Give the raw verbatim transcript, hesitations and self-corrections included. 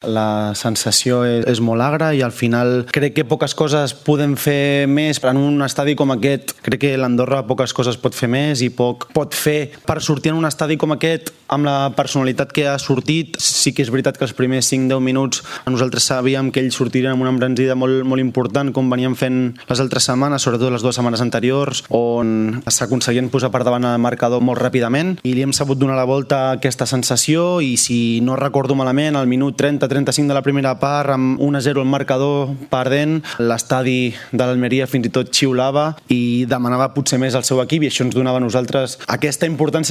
La sensació és molt agra i al final crec que poques coses podem fer més en un estadi com aquest. Crec que l'Andorra poques coses pot fer més i poc pot fer per sortir en un estadi com aquest amb la personalitat que ha sortit. Sí que és veritat que els primers cinc deu minuts nosaltres sabíem que ells sortirien amb una embranzida molt, molt important com veníem fent les altres setmanes, sobretot les dues setmanes anteriors, on s'aconseguien posar per davant el marcador molt ràpidament i li hem sabut donar la volta a aquesta sensació i si no recordo malament al minut trenta trenta-cinc de la primera part amb un a zero el marcador perdent, l'estadi de l'Almeria fins i tot xiulava i demanava potser més al seu equip i això ens donava a nosaltres aquesta importància